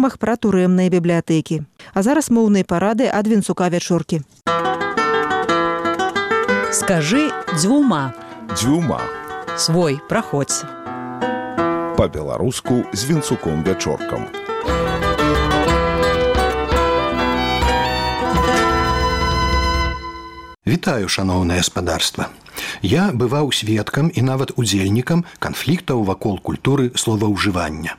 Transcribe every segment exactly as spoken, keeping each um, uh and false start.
нормах пра турэмныя бібліятэкі. А зараз моўныя парады ад Вінцука Вячоркі. Скажи дзвюма. Дзвюма. Свой, праходзь. Па-беларуску з Вінцуком Вячоркам. Вітаю, шаноўнае гаспадарства. Я бываў сведкам і нават удзельнікам канфліктаў вакол культуры словаўжывання.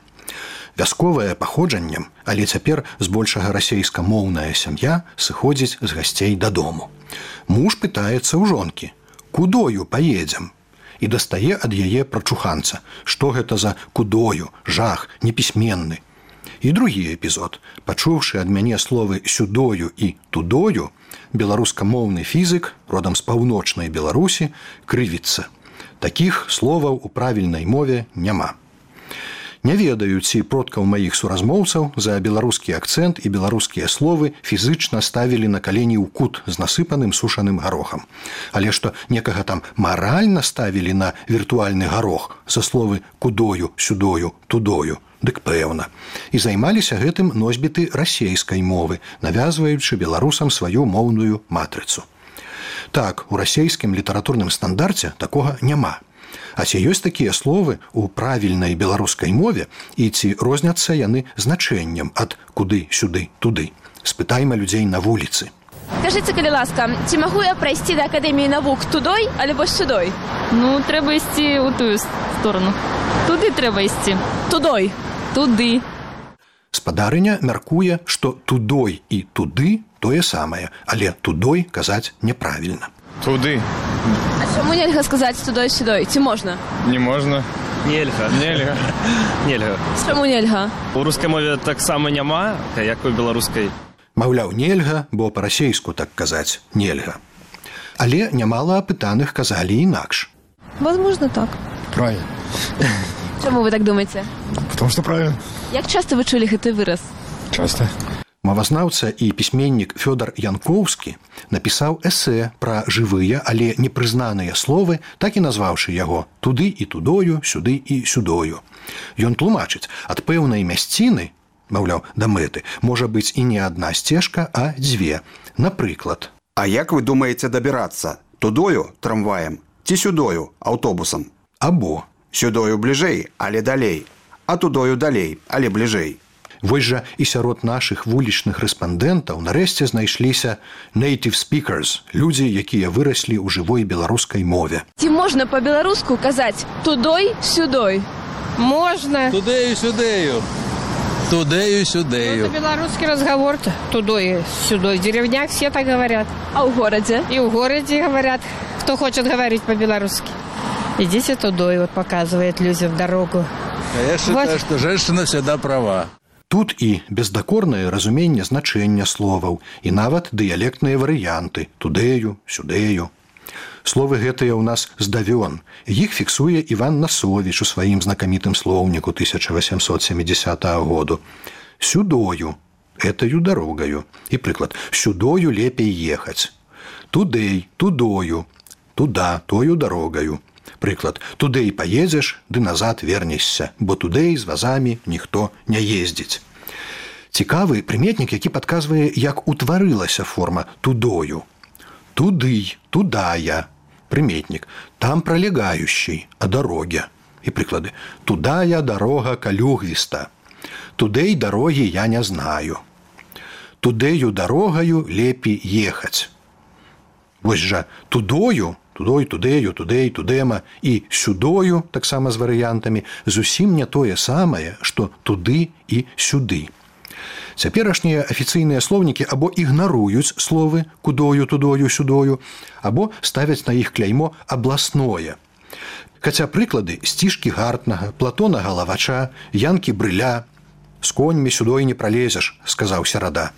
Вясковае паходжаннем, але цяпер збольшага расейскамоўная сям'я сыходзіць з гасцей дадому. Муж пытаецца ў жонкі: «Кудою паедзем?» І дастае ад яе прачуханца. Што гэта за кудою, жах, непісьменны. І другі эпізод. Пачуўшы ад мяне словы сюдою і тудою, беларускамоўны фізік, родам з паўночнай Беларусі, крывіцца. Такіх словаў у правільнай мове няма. Не ведаю, ці продкаў маіх суразмоўцаў за беларускі акцэнт і беларускія словы фізычна ставілі на калені ў кут з насыпаным сушаным гарохам. Але што некага там маральна ставілі на віртуальны гарох за словы кудою, сюдою, тудою, дык пэўна. І займаліся гэтым носьбіты расейскай мовы, навязваючы беларусам сваю моўную матрыцу. Так, у расейскім літаратурным стандарце такога няма. А ці ёсць такія словы ў правільнай беларускай мове і ці розняцца яны значэннем ад куды, сюды, туды? Спытайма людзей на вуліцы. Скажыце, калі ласка, ці магу я прайсці да Акадэміі навук тудой, альбо сюдой? Ну, трэба ісці ў тую сторону. Туды трэба ісці. Тудой. Туды. Спадарыня мяркуе, што тудой і туды тое самае, але тудой казаць няправільна. Туды. А чаму нельга сказаць тудой-сюдой? Ці можна? Не можна. Нельга. Нельга. Нельга. Чаму нельга? У рускай мове таксама няма, як у беларускай. Маўляў, нельга, бо па-расейску так казаць нельга. Але нямала апытаных казалі інакш. Возможно, так. Правильно. Чаму вы так думаеце? Потому что правильно. Як часта вы чулі гэты выраз? Часто. Мовазнаўца і пісьменнік Фёдар Янкоўскі напісаў эсэ пра жывыя, але непрызнаныя словы, так і назваўшы яго «Туды і тудою, сюды і сюдою». Ён тлумачыць, ад пэўнай мясціны, маўляў, да мэты, можа быць і не адна сцежка, а дзве. Напрыклад. А як вы думаеце дабірацца? Тудою трамваем ці сюдою аўтобусам? Або. Сюдою бліжэй, але далей, а тудою далей, але бліжэй. Вось жа і сярод нашых вулічных рэспандэнтаў нарэшце знайшліся native speakers, людзі, якія выраслі ў жывой беларускай мове. Ці можна па-беларуску казаць тудой-сюдой? Можна. Тудею-сюдею. Тудею-сюдею. Это белорусский разговор. Тудой-сюдой. В деревнях все так говорят. А в городе? И в городе говорят, кто хочет говорить по-белорусски. Идите тудой, вот показывает людям дорогу. А я считаю, вот. Что женщина всегда права. Тут і бездакорнае разуменне значэння словаў, і нават дыялектныя варыянты тудею, сюдею. Словы гэтыя ў нас здавён. Іх фіксуе Іван Насовіч у сваім знакамітым слоўніку тысяча васямсот сямідзясятага году. Сюдою – этаю дарогаю. І прыклад – сюдою лепей ехаць. Тудэй, тудою, туда, тою дарогаю. Прыклад, тудэй паедзеш, ды назад вернешся, бо тудэй з вазамі ніхто не ездзіць. Цікавы прыметнік, які падказвае, як утварылася форма тудою. Туды, тудая. Прыметнік, там пролегающий, о дороге. І прыклады, тудая дорога калюгвіста. Тудэй дорогі я не знаю. Тудэю дорогаю лепей ехаць. Вось жа тудою, тудой, тудею, тудэй, тудема і сюдою, таксама з варыянтамі, зусім не тое самае, што туды і сюды. Цяперашнія афіцыйныя слоўнікі або ігнаруюць словы кудою, тудою, сюдою, або ставяць на іх кляймо абласное. Хаця прыклады сцішкі Гартнага, Платона Галавача, Янкі Брыля «З коньмі сюдой не пралезеш», сказаў Серада.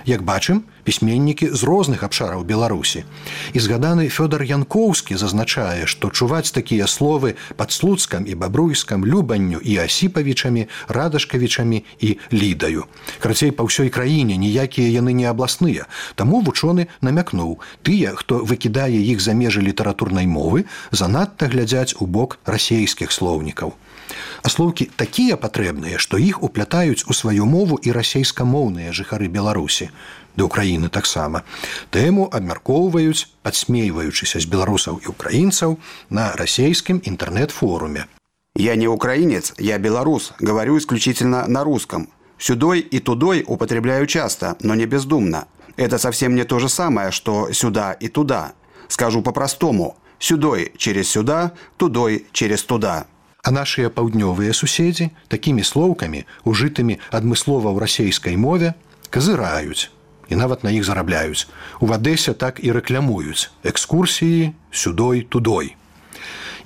Як бачым, пісьменнікі з розных абшараў Беларусі. І згаданы Фёдар Янкоўскі зазначае, што чуваць такія словы пад Слуцкам і Бабруйскам, Любанню і Асіпавічамі, Радашкавічамі і Лідаю. Карацей, па ўсёй краіне ніякія яны не абласныя. Таму вучоны намякнуў, тыя, хто выкідае іх за межы літаратурнай мовы, занадта глядзяць у бок расейскіх слоўнікаў. А слоўкі такія патрэбныя, што іх уплятаюць у сваю мову і расейскамоўныя жыхары Беларусі, ды ўкраіны таксама. Тэму абмяркоўваюць, падсмейваючыся з беларусаў і украінцаў на расейскім інтэрнэт-форуме. Я не украинец, я белорус, говорю исключительно на русском. Сюдой и тудой употребляю часто, но не бездумно. Это совсем не то же самое, что сюда и туда. Скажу по-простому. Сюдой через сюда, тудой через туда. А нашыя паўднёвыя суседзі такімі слоўкамі, ужытымі адмыслова ў расейскай мове, казыраюць і нават на іх зарабляюць. У Адэсе так і рэклямуюць экскурсіі сюдой-тудой.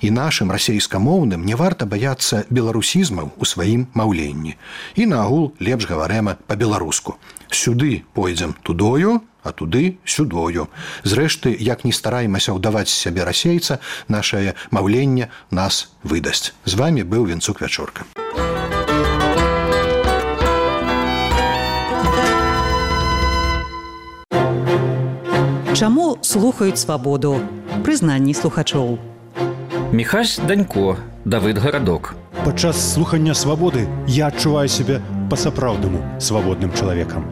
І нашым расейскамоўным не варта баяцца беларусізмаў у сваім маўленні. І наагул лепш гаварэма па-беларуску. Сюды пойдзем тудою, а туды сюдою. Зрэшты, як не стараемся ўдаваць з сябе расейца, нашае маўленне нас выдасць. З вамі быў Венцук Вячорка. Чаму слухаюць свабоду? Прызнанні слухачоў. Міхась Данько, Давыд Гарадок. Падчас слухання свабоды я адчуваю сябе па-сапраўднаму свабодным чалавекам.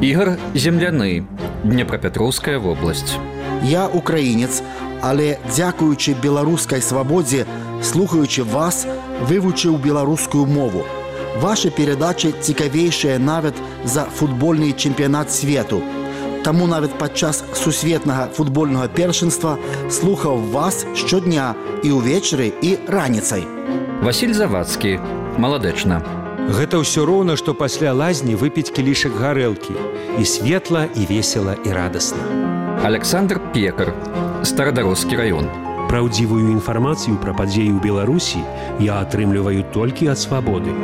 Ігор Земляны, Днепрапетроўская вобласць. Я украінец, але дзякуючы беларускай свабодзе, слухаючы вас, вывучыў беларускую мову. Вашы перадачы цікавейшыя нават за футбольны чэмпіянат свету. Таму нават падчас сусветнага футбольнага першынства слухаў вас штодня і ўвечары, і раніцай. Васіль Завадскі, Маладэчна. Гэта ўсё роўна, што пасля лазні выпіць кілішак гарэлкі. І светла, і весела, і радасна. Александр Пекар, Старадароскі раён. Праўдзівую інфармацыю пра падзеі ў Беларусі я атрымліваю толькі ад свабоды.